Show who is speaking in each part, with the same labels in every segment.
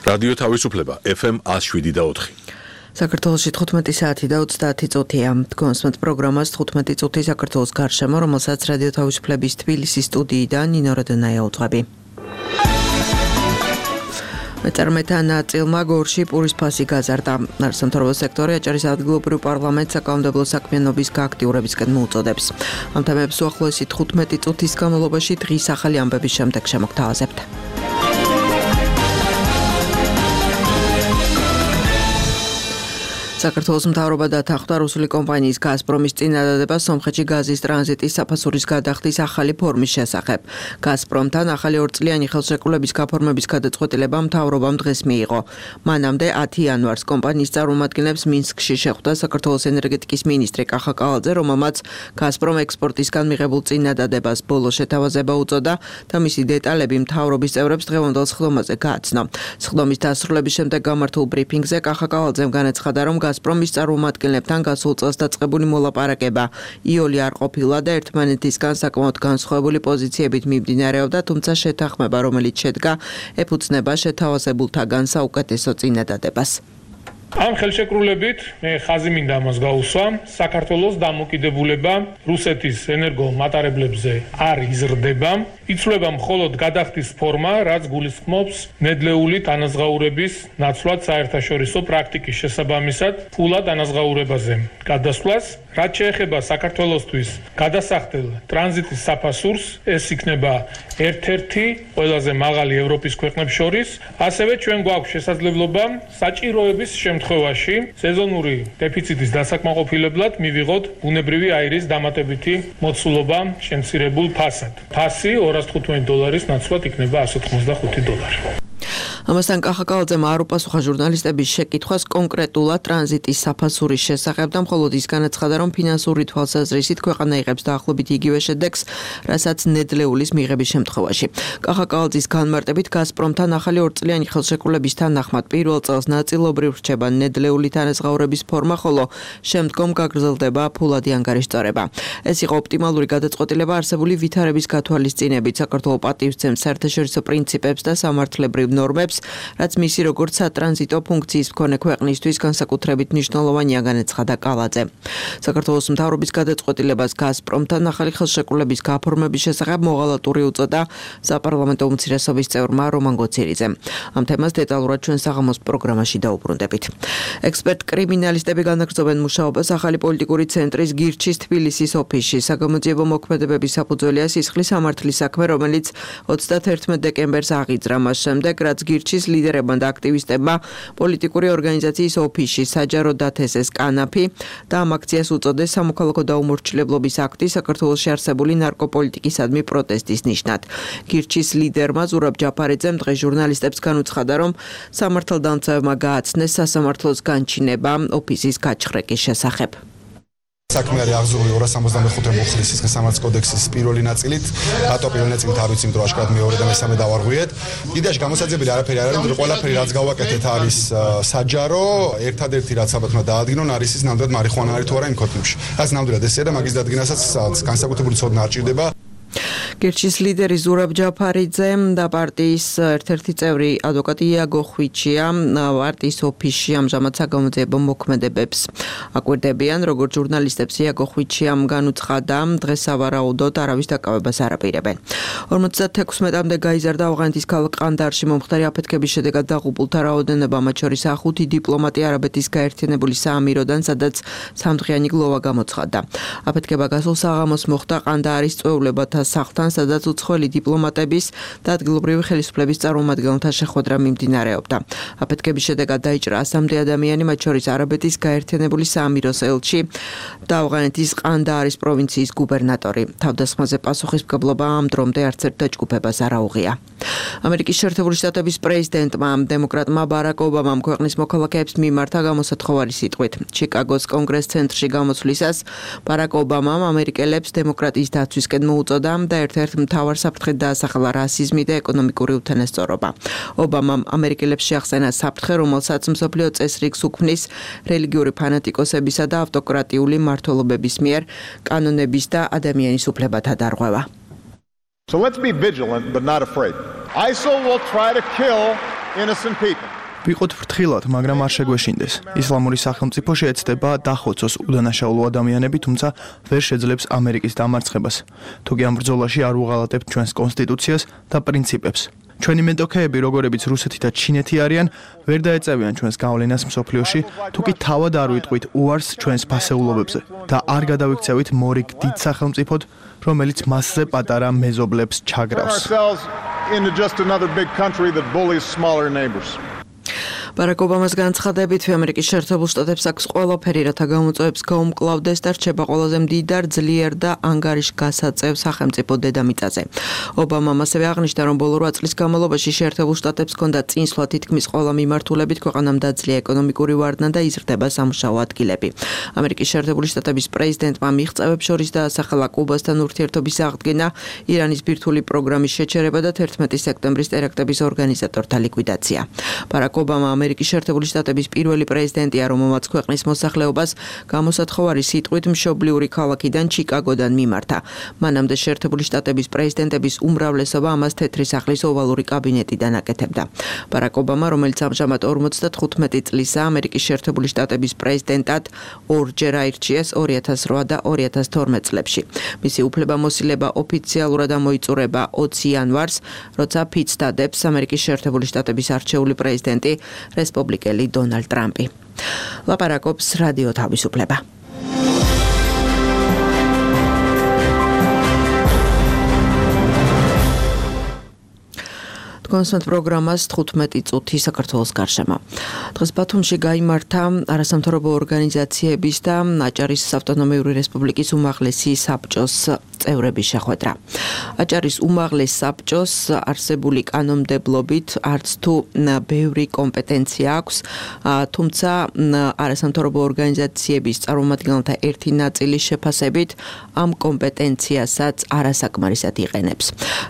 Speaker 1: რადიო თავისუფლება FM 107.4.
Speaker 2: საქართველოში 15 საათი და 30 წუთია. გონსმენთ პროგრამას 15 წუთი საქართველოს გარშემო, რომელსაც რადიო თავისუფლების თბილისის სტუდიიდან ნინო როდონაია უძღვები. მეწარმეთა ნაწილმა გორში პურის ფასი გაზარდა. სამთავრობო სექტორი აჭარის ადგილობრივ პარლამენტს საკანონმდებლო საქმიანობის გააქტიურებისკენ მოუწოდებს. ამ თემებს უახლოესი 15 წუთის განმავლობაში დღის ახალი ამბების შემდეგ შემოგთავაზებთ. საქართველოს მთავრობა დათანხმდა რუსული კომპანიის გაზპრომის წინადადება სომხეთში გაზის ტრანზიტის საფასურის გადახდის ახალი ფორმის შესახებ. გაზპრომთან ახალი 2 წლიანი ხელშეკრულების გაფორმების გადაწყვეტილება მთავრობამ დღეს მიიღო. მანამდე 10 იანვარს კომპანიის წარმომადგენლებს მინსკში შეხვდა საქართველოს ენერგეტიკის მინისტრი კახა კავალძე, რომელმაც გაზპრომ ექსპორტისგან მიღებულ წინადადებას ბოლო შეთავაზება უწოდა და მისი დეტალები მთავრობის წევრებს დღევანდელ სხდომაზე გააცნო. სხდომის დასრულების შემდეგ გამართულ ბრიფინგზე კახა კავალძემ განაცხადა, რომ გაზპრომის წარმომადგენლებთან გასულ წელს დაწყებული მოლაპარაკება იოლი არ ყოფილა და ერთმანეთისგან საკმაოდ განსხვავებული პოზიციებით მიმდინარეობდა, თუმცა შეთანხმება, რომელიც შედგა, ეფუძნება შეთავაზებულთაგან საუკეთესო წინადადებას.
Speaker 3: ამ ხელშეკრულებით მე ხაზი მინდა ამას გაუსვა, საქართველოს დამოკიდებულება რუსეთის ენერგომატარებლებზე არ იზრდება, იცვლება მხოლოდ გადახდის ფორმა, რაც გულისხმობს ნედლეული თანაზღაურების ნაცვლად საერთაშორისო პრაქტიკის შესაბამისად ფულად ანაზღაურებაზე გადასვლას, რაც შეეხება საქართველოსთვის გადასახდელ ტრანზიტის საფასურს, ეს იქნება ერთ-ერთი ყველაზე მაღალი ევროპის ქვეყნებს შორის, ასევე ჩვენ გვაქვს შესაძლებლობა საჭიროების შემთხვევაში სეზონური დეფიციტის დასაკმაყოფილებლად მივიღოთ ბუნებრივი აირის დამატებითი მოცულობა შემცირებულ ფასად. ფასი $215 ნაცვლად იქნება $185.
Speaker 2: ამასთან კახა კავალძემ არ უპასუხა ჟურნალისტების შეკითხვას კონკრეტულად ტრანზიტის საფასურის შესახებ და მხოლოდ ის განაცხადა, რომ ფინანსური თვალსაზრისით ქვეყანა იღებს დაახლოებით იგივე შედეგს, რასაც ნედლეულის მიღების შემთხვევაში. კახა კავალძის განმარტებით გაზპრომთან ახალი 2 წლიანი ხელშეკრულების თანახმად პირველ წელს ნაწილობრივ რჩება ნედლეული თანაზღაურების ფორმა, ხოლო შემდგომ გაგრძელდება ფულადი ანგარიშწორება. ეს იყო ოპტიმალური გადაწყვეტილება არსებული ვითარების გათვალისწინებით. საქართველოს პატივისცემს საერთაშორისო პრინციპებს და სამართლებრივ ნორმებს, რაც მისი როგორც სატრანზიტო ფუნქციის მქონე ქვეყნისთვის განსაკუთრებით მნიშვნელოვანია, განაცხადა კავალძე. საქართველოს მთავრობის გადაწყვეტილებას გაზპრომთან ახალი ხელშეკრულების გაფორმების შესახებ მოღალატური უწოდა საპარლამენტო უმცირესობის წევრმა რომან გოცირიძემ. ამ თემას დეტალურად ჩვენ საღამოს პროგრამაში დაუბრუნდებით. ექსპერტ კრიმინალისტები განაგრძობენ მუშაობას ახალი პოლიტიკური ცენტრის გირჩის თბილისის ოფისში. საგამოძიებო მოქმედებების საფუძველია სისხლის სამართლის საქმე, რომელიც 31 დეკემბერს აღიძრა, მას შემდეგ რაც გირჩის ლიდერებმა და აქტივისტებმა პოლიტიკური ორგანიზაციის ოფისში საჯარო დათესეს კანაფი და ამ აქციას უწოდეს სამოქალაქო დაუმორჩილებლობის აქტი საქართველოში არსებული ნარკოპოლიტიკისადმი პროტესტის ნიშნად. გირჩის ლიდერმა ზურაბ ჯაფარიძემ დღეს ჟურნალისტებს განუცხადა, რომ სამართალდამცავებმა გააცნეს სასამართლოს განჩინება ოფისის გაჩხრეკის შესახებ.
Speaker 4: საქმე არის აღზრული 265 მუხლის სამართლის კოდექსის პირველი ნაწილით, რატო პირველი ნაწილით არ ვიცი, იმიტომ რომ აშკარად მეორე და მესამე დავარღვიეთ. კიდეში გამოსაძებელი არაფერი არ არის, იმიტომ რომ ყველაფერი რაც გავაკეთეთ არის საჯარო, ერთადერთი რაც საბათმა დაადგინონ არის ის ნამდვილად მარიხუანა არის თუ არა იმ ქოთნებში. რაც ნამდვილად ესეა და მაგის დადგენასაც განსაკუთრებული ცოდნა არ ჭირდება.
Speaker 2: გირჩის ლიდერი ზურაბ ჯაფარიძე და პარტიის ერთ-ერთი წევრი ადვოკატი იაგო ხვიჩია პარტიის ოფისში ამჟამად საგამოძიებო მოქმედებებს აკვირდებიან. როგორც ჟურნალისტებს იაგო ხვიჩიამ განუცხადა, დღეს სავარაუდოდ არავის დაკავებას არ აპირებენ. 56-მდე გაიზარდა ავღანეთის ქალაქ ყანდაარში მომხდარი აფეთქების შედეგად დაღუპულთა რაოდენობა, მათ შორის 5 დიპლომატი არაბეთის გაერთიანებული საამიროდან, სადაც სამდღიანი გლოვა გამოცხადდა. აფეთქება გასულ საღამოს მოხდა ყანდაარის წვეულებათა სახლთან, სადაც უცხოელი დიპლომატების და ადგილობრივი ხელისუფლების წარმომადგენელთა შეხვედრა მიმდინარეობდა. აფეთქების შედეგად დაიჭრა 100-მდე ადამიანი, მათ შორის არაბეთის გაერთიანებული საამიროს ელჩი და ავღანეთის ყანდაარის პროვინციის გუბერნატორი. თავდასხმაზე პასუხისმგებლობა ამ დრომდე არც ერთ დაჯგუფებას არ აუღია. ამერიკის შეერთებული შტატების პრეზიდენტმა დემოკრატმა ბარაკ ობამამ ქვეყნის მოქალაქეებს მიმართა გამოსათხოვარი სიტყვით. ჩიკაგოს კონგრეს ცენტრში გამოსვლისას ბარაკ ობამამ ამერიკელებს დემოკრატიის დაცვისკენ მოუწოდა და ერთ-ერთ მთავარ საფრთხედ დაასახელა რასიზმი და ეკონომიკური უთანასწორობა. ობამამ ამერიკელებს შეახსენა საფრთხე, რომელსაც მსოფლიო წესრიგს უქმნის რელიგიური ფანატიკოსებისა და ავტოკრატიული მმართველობების მიერ კანონების და ადამიანის უფლებათა დარღვევა.
Speaker 5: So let's be vigilant but not afraid. ISIL will try to kill innocent people. ვიყოთ ფრთხილად, მაგრამ არ შეგვეშინდეს. ისლამური სახელმწიფო შეეცდება დახოცოს უდანაშაულო ადამიანები, თუმცა ვერ შეძლებს ამერიკის დამარცხებას. თუკი ამ ბრძოლაში არ უღალატებთ ჩვენს კონსტიტუციას და პრინციპებს. ჩვენი მეტოქეები, როგორებიც რუსეთი და ჩინეთი არიან, ვერ დაეწევიან ჩვენს გავლენას მსოფლიოში, თუკი თავად არ ვიტყვით უარს ჩვენს ფასეულობებზე და არ გადავიქცევით მორიგ დიდ სახელმწიფოდ, რომელიც მასზე პატარა მეზობლებს ჩაგრავს.
Speaker 2: ბარაკ ობამას განცხადებით, ამერიკის შეერთებულ შტატებს აქვს ყველაფერი, რათა გამოწვევებს გაუმკლავდეს და რჩება ყველაზე მდიდარ, ძლიერ და ანგარიშგასაწევ სახელმწიფო დედამიწაზე. ობამამ ასევე აღნიშნა, რომ ბოლო 8 წლის განმავლობაში შეერთებულ შტატებს ჰქონდა წინსვლა თითქმის ყველა მიმართულებით, ქვეყანამ დაძლია ეკონომიკური ვარდნა და იზრდება სამუშაო ადგილები. ამერიკის შეერთებული შტატების პრეზიდენტმა მიღწევებს შორის დაასახელა კუბასთან ურთიერთობის აღდგენა, ირანის ბირთვული პროგრამის შეჩერება და 11 სექტემბრის ტერაქტების ორგანიზატორთა ლიკვიდაცია. ბარაკ ობამა ამერიკის შეერთებული შტატების პირველი პრეზიდენტია, რომელმაც ქვეყნის მოსახლეობას გამოსათხოვარი სიტყვით მშობლიური ქალაქიდან ჩიკაგოდან მიმართა. მანამდე შეერთებული შტატების პრეზიდენტების უმრავლესობა ამას თეთრი სახლის ოვალური კაბინეტიდან აკეთებდა. ბარაკ ობამა, რომელიც ამჟამად 55 წლისაა, ამერიკის შეერთებული შტატების პრეზიდენტად ორჯერ აირჩიეს 2008 და 2012 წლებში. მისი უფლებამოსილება ოფიციალურად ამოიწურება 20 იანვარს, როცა ფიცს დადებს ამერიკის შეერთებული შტატების არჩეული პრეზიდენტი რესპუბლიკელი დონალდ ტრამპი. ლაპარაკობს რადიო თავისუფლება. კონსტანტ პროგრამას 15 წუთი საქართველოს გარშემო. დღეს ბათუმში გაიმართა არასამთავრობო ორგანიზაციების და აჭარის ავტონომიური რესპუბლიკის უმაღლესი საბჭოს წევრების შეხვედრა. აჭარის უმაღლეს საბჭოს არსებული კანონმდებლობით არც თუ ბევრი კომპეტენცია აქვს, თუმცა არასამთავრობო ორგანიზაციების წარმომადგენელთა ერთი ნაწილის შეფასებით ამ კომპეტენციასაც არასაკმარისად იყენებს.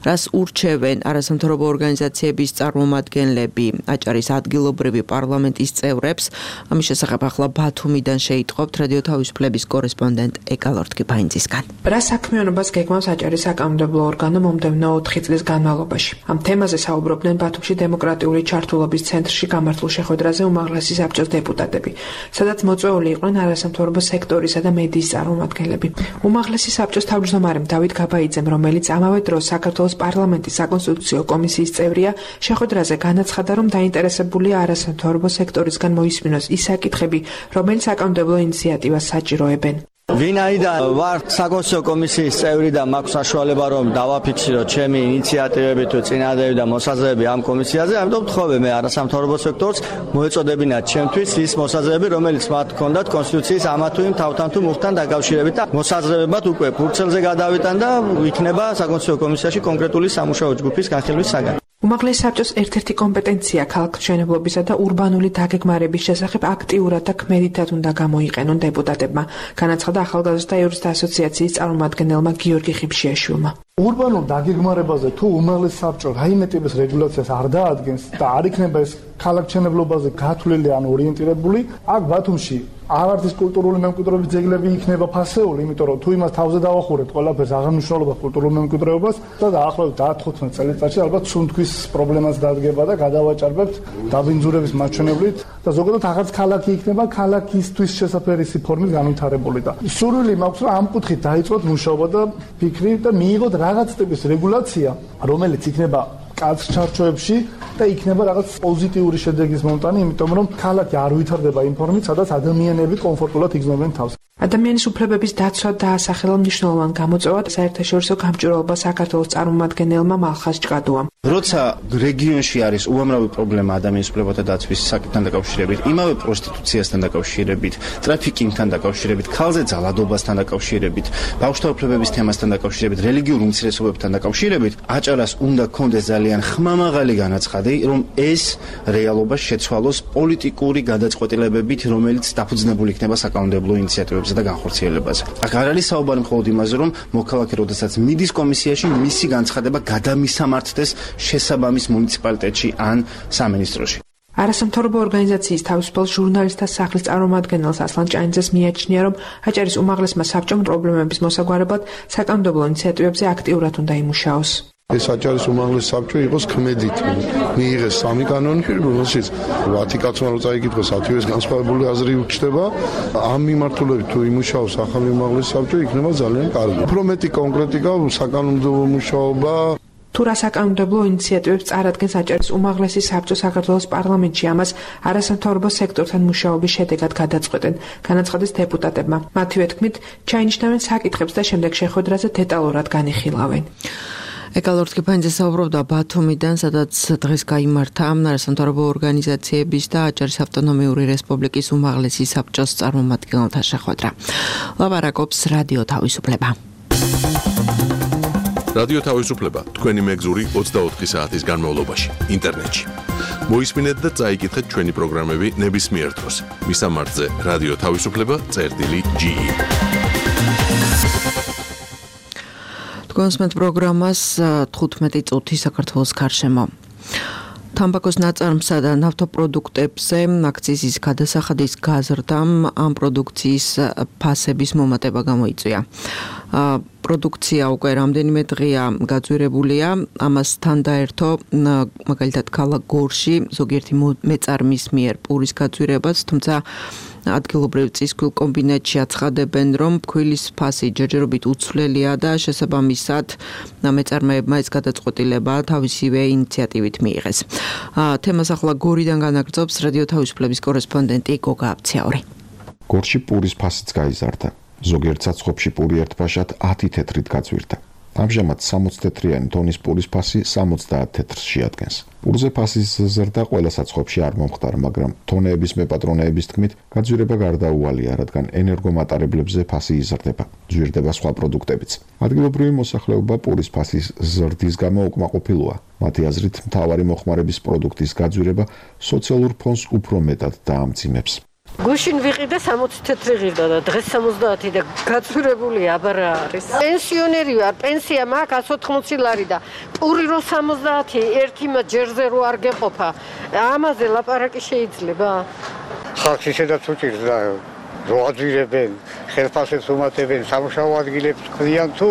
Speaker 2: რას ურჩევენ არასამთავრობო ორგანიზაციების წარმომადგენლები აჭარის ადგილობრივი პარლამენტის წევრებს, ამის შესახებ ახლა ბათუმიდან შეიტყობთ რადიო თავისუფლების კორესპონდენტ ეკალორთ კიფაინძისგან.
Speaker 6: რა საქმიანობას გეგმავს აჭარის საკანონმდებლო ორგანო მომდევნო 4 წლის განმავლობაში? ამ თემაზე საუბრობდნენ ბათუმში დემოკრატიული ჩართულობის ცენტრში გამართულ შეხვედრაზე უმაღლესი საბჭოს დეპუტატები, სადაც მოწვეული იყვნენ არასამთავრობო სექტორისა და მედიის წარმომადგენლები. უმაღლესი საბჭოს თავმჯდომარემ დავით გაბაიძემ, რომელიც ამავე დროს საქართველოს პარლამენტის საკონსტიტუციო კომისიის წევრია, შეხვედრაზე განაცხადა, რომ დაინტერესებულია არასამთავრობო სექტორისგან მოისმინოს ის საკითხები, რომელიც საკანონმდებლო ინიციატივას საჭიროებენ.
Speaker 7: ვინაიდან ვარ საკონსტიტუციო კომისიის წევრი და მაქვს საშუალება რომ დავაფიქსირო ჩემი ინიციატივები თუ წინადადები და მოსაზრებები ამ კომისიაზე, ამიტომ ვთხოვე მე არასამთავრობო სექტორს მოეწოდებინათ ჩემთვის ის მოსაზრებები, რომელიც მათ ჰქონდათ კონსტიტუციის ამა თუ იმ თავთან თუ მუხთან დაკავშირებით და მოსაზრებებად უკვე ფურცელზე გადავიტან და იქნება საკონსტიტუციო კომისიაში კონკრეტული სამუშაო ჯგუფის განხილვის საგანი.
Speaker 6: უმაღლესი საბჭოს ერთ-ერთი კომპეტენცია ქალაქმშენებლობისა და ურბანული დაგეგმარების შესახებ აქტიურად და ქმედითად უნდა გამოიყენონ დეპუტატებმა, განაცხადა ახალგაზრდა იურისტთა ასოციაციის წარმომადგენელმა გიორგი ხიფშიაშვილმა.
Speaker 8: ურბანულ დაგეგმარებაზე თუ უმაღლესი საბჭო რაიმე ტიპის რეგულაციას არ დაადგენს და არ იქნება ეს ქალაქმშენებლობაზე გათვლილი ან ორიენტირებული, აქ ბათუმში არც ის კულტურული მემკვიდრეობის ძეგლები იქნება ფასეული, იმიტომ რომ თუ იმას თავზე დავახურებთ ყველაფერს აღნიშნულობა კულტურულ მემკვიდრეობას და დაახლოებით 10-15 წელიწადში ალბათ სუნთქვის პრობლემას დადგება და გადავაჭარბებთ დაბინძურების მაჩვენებლით და ზოგადად აღარც ქალაქი იქნება ქალაქისთვის შესაძლებელი ფორმით განვითარებული და სურვილი მაქვს რომ ამ კუთხით დაიწყოთ მუშაობა და ფიქრი და მიიღოთ რაღაც ტიპის რეგულაცია, რომელიც იქნება კაც ჩარჩოებში და იქნება რაღაც პოზიტიური შედეგის მომტანი, იმიტომ რომ ქალაქი არ ვითარდება იმ ფორმით, სადაც ადამიანები კომფორტულად იგრძნობენ თავს.
Speaker 6: ადამიანის უფლებების დაცვა დაასახელა მნიშვნელოვან გამოწვევად საერთაშორისო გამჭვირვალობა საქართველოს წარმომადგენელმა მალხაზ ჭყადუამ.
Speaker 9: როცა რეგიონში არის უამრავი პრობლემა ადამიანის უფლებათა დაცვის საკითხთან დაკავშირებით, იმავე პროსტიტუციასთან დაკავშირებით, ტრაფიკინგთან დაკავშირებით, ქალზე ძალადობასთან დაკავშირებით, ბავშვთა უფლებების თემასთან დაკავშირებით, რელიგიურ უმცირესობებთან დაკავშირებით, აჭარას უნდა გქონდეს ძალიან ხმამაღალი განაცხადი, რომ ეს რეალობა შეცვალოს პოლიტიკური გადაწყვეტილებებით, რომელიც დაფუძნებული იქნება საკანონმდებლო ინიციატივებზე და განხორციელებაზე. აქ არ არის საუბარი მხოლოდ იმაზე, რომ მოქალაქე როდესაც მიდის კომისიაში, მისი განცხადება გადამისამართდეს შესაბამის მუნიციპალიტეტში ან სამინისტროში.
Speaker 6: არასამთავრობო ორგანიზაციის თავისუფალ ჟურნალისტთა სახლის წარმომადგენელს ასლან ჭაინძეს მიაჩნია, რომ აჭარის უმაღლესმა საბჭომ პრობლემების მოსაგვარებლად საკანონმდებლო ინიციატივებზე აქტიურად უნდა იმუშაოს.
Speaker 10: ეს აჭარის უმაღლესი საბჭო იყოს ქმედით მიიღეს 3 კანონი, რომელშიც 10 კაცმა რო წაიკითხოს 10-ის განსხვავებული აზრი უჩნდება. ამ მიმართულებით თუ იმუშაოს ახალი უმაღლესი საბჭო, იქნება ძალიან კარგი. უფრო მეტი კონკრეტიკა, საკანონმდებლო მუშაობა.
Speaker 6: თუ რა საკანონმდებლო ინიციატივებს წარადგენს აჭარის უმაღლესი საბჭო საქართველოს პარლამენტში, ამას არასამთავრობო სექტორთან მუშაობის შედეგად გადაწყვეტენ, განაცხადეს დეპუტატებმა. მათივე თქმით, ჩაინიშნავენ საკითხებს და შემდეგ შეხვედრაზე დეტალურად განიხილავენ.
Speaker 2: ეკალორთკი ფანძე საუბრობდა ბათუმიდან, სადაც დღეს გაიმართა არასამთავრობო ორგანიზაციების და აჭარის ავტონომიური რესპუბლიკის უმაღლესი საბჭოს წარმომადგენელთა შეხვედრა. ლაპარაკობს რადიო თავისუფლება.
Speaker 1: რადიო თავისუფლება თქვენი მეგზური 24 საათის განმავლობაში ინტერნეტში. მოისმინეთ და წაიკითხეთ ჩვენი პროგრამები ნებისმიერ დროს. მისამართზე რადიო თავისუფლება.ge. თქვენს პროგრამას 15 წუთი საქართველოს გარშემო. თამბაქოს ნაწარმსა და ნავთობპროდუქტებზე აქციზის გადასახადის გაზრდამ ამ პროდუქციის ფასების მომატება გამოიწვია. პროდუქცია უკვე რამდენიმე დღეა გაძვირებულია, ამასთან დაერთო მაგალითად ქალაქ გორში ზოგიერთი მეწარმის მიერ პურის გაძვირებას, თუმცა ადგილობრივ წისქვილ კომბინატში აცხადებენ, რომ ფქვილის ფასი ჯერჯერობით უცვლელია და შესაბამისად მეწარმეებმა ეს გადაწყვეტილება თავისივე ინიციატივით მიიღეს. თემას ახლა გორიდან განაგრძობს რადიო თავისუფლების კორესპონდენტი გოგა აბცაური.
Speaker 11: გორში პურის ფასიც გაიზარდა. ზოგიერთ საცხობში პური ერთბაშად 10 თეთრით გაძვირდა. ამჟამად 60 თეთრიანი ტონის პურის ფასი 70 თეთრს შეადგენს. პურზე ფასის ზრდა ყველა საცხობში არ მომხდარა, მაგრამ თონეების მეპატრონეების თქმით, გაძვირება გარდაუვალია, რადგან ენერგომატარებლებზე ფასი იზრდება, ძვირდება სხვა პროდუქტებიც. ადგილობრივი მოსახლეობა პურის ფასის ზრდის გამო უკმაყოფილოა. მათი აზრით, მთავარი მოხმარების პროდუქტის გაძვირება სოციალურ ფონს უფრო მეტად დაამძიმებს.
Speaker 12: გუშინ ვიყიდა 60 თეთრი ღირდა და დღეს 70 და გაძვირებული აბარა არის. პენსიონერი ვარ, პენსია მაქვს 180 ლარი და პური რო 70 ერთი ჯერზე რო არ გეყოფა. ამაზე ლაპარაკი შეიძლება?
Speaker 13: ხალხს ისედაც უჭირს და რო აძვირებენ, ხელფასებს უმატებენ, სამუშაო ადგილებს ყრიან თუ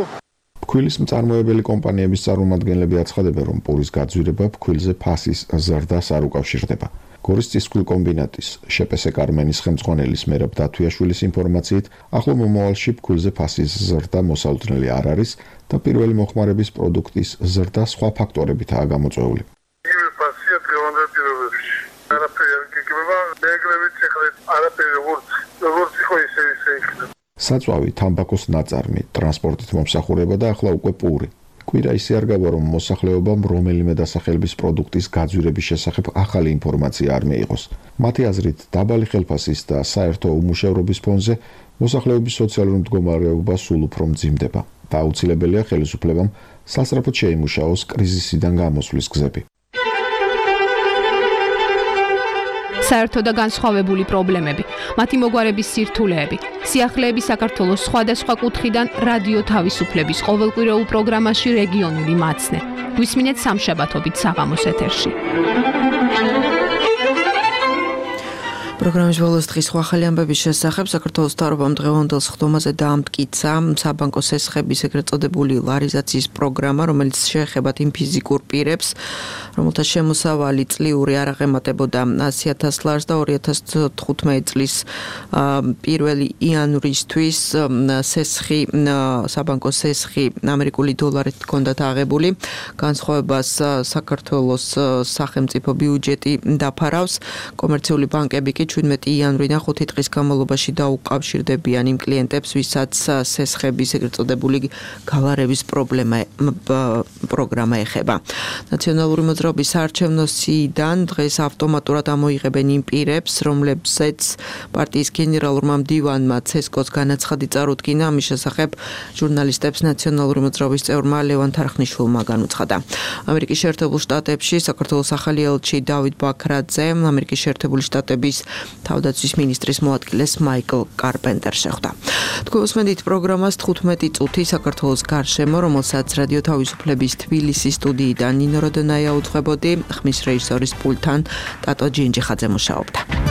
Speaker 11: ფქვილის მწარმოებელი კომპანიების წარმომადგენლები აცხადებენ, რომ პურის გაძვირება ფქვილზე ფასის ზრდას არ უკავშირდება. გორის წისქვილ კომბინატის შპს კარმენის ხელმძღვანელის მერაბ დათვიაშვილის ინფორმაციით, ახლო მომავალში ფქვილზე ფასის ზრდა მოსაუძნელი არ არის და პირველი მოხმარების პროდუქტის ზრდა სხვა ფაქტორებითაა გამოწვეული.
Speaker 14: იგივე ფასია დღევანდელ პირობებში. არაფერი არ გიგება, მეგრებით ეხლა არაფერი როგორც იყო ისე იქნება.
Speaker 11: საწვავი, თამბაქოს ნაწარმი, ტრანსპორტით მომსახურება და ახლა უკვე პური. კვირა ისე არ გავა, რომ მოსახლეობამ რომელიმე დასახელების პროდუქტის გაძვირების შესახებ ახალი ინფორმაცია არ მიიღოს. მათი აზრით, დაბალი ხელფასის და საერთო უმუშევრობის ფონზე მოსახლეობის სოციალური მდგომარეობა სულ უფრო მძიმდება და აუცილებელია ხელისუფლებამ სასწრაფოდ შეიმუშაოს კრიზისიდან გამოსვლის გზები.
Speaker 15: საერთო და განსხვავებული პრობლემები, მათი მოგვარების სირთულეები, სიახლეები საქართველოს სხვადასხვა კუთხიდან რადიო თავისუფლების ყოველკვირეულ პროგრამაში რეგიონული მაცნე. გვისმინეთ სამშაბათობით საღამოს ეთერში.
Speaker 2: პროგრამის ბოლოს დღის ახალი ამბების შესახებ საქართველოს მთავრობამ დღევანდელ სხდომაზე დაამტკიცა საბანკო სესხების ეგრეთ წოდებული ლარიზაციის პროგრამა, რომელიც შეეხება იმ ფიზიკურ პირებს, რომელთა შემოსავალი წლიური არ აღემატებოდა 100,000 ლარს და 2015 წლის 1 იანვრისთვის სესხი, საბანკო სესხი ამერიკული დოლარით ჰქონდათ აღებული. განსხვავებას საქართველოს სახელმწიფო ბიუჯეტი დაფარავს, კომერციული ბანკები კი 17 იანვრიდან 5 დღის განმავლობაში დაუკავშირდებიან იმ კლიენტებს, ვისაც სესხების ეგრეთ წოდებული გალარების პროგრამა ეხება. ნაციონალური მოძრაობის საარჩევნო სიიდან დღეს ავტომატურად ამოიღებენ იმ პირებს, რომლებსაც პარტიის გენერალურმა მდივანმა ცესკოს განაცხადი წარუდგინა. ამის შესახებ ჟურნალისტებს ნაციონალური მოძრაობის წევრმა ლევან თარხნიშვილმა განუცხადა. ამერიკის შეერთებულ შტატებში საქართველოს ახალი ელჩი დავით ბაქრაძე ამერიკის შეერთებული შტატების თავდაცვის მინისტრის მოადგილეს მაიკლ კარპენტერს შეხვდა. თქვენ უსმენთ პროგრამას 15 წუთი საქართველოს გარშემო, რომელსაც რადიო თავისუფლების თბილისის სტუდიიდან ნინო როდონაია უძღვებოდი, ხმის რეჟისორის პულტთან ტატო ჯინჯიხაძე მუშაობდა.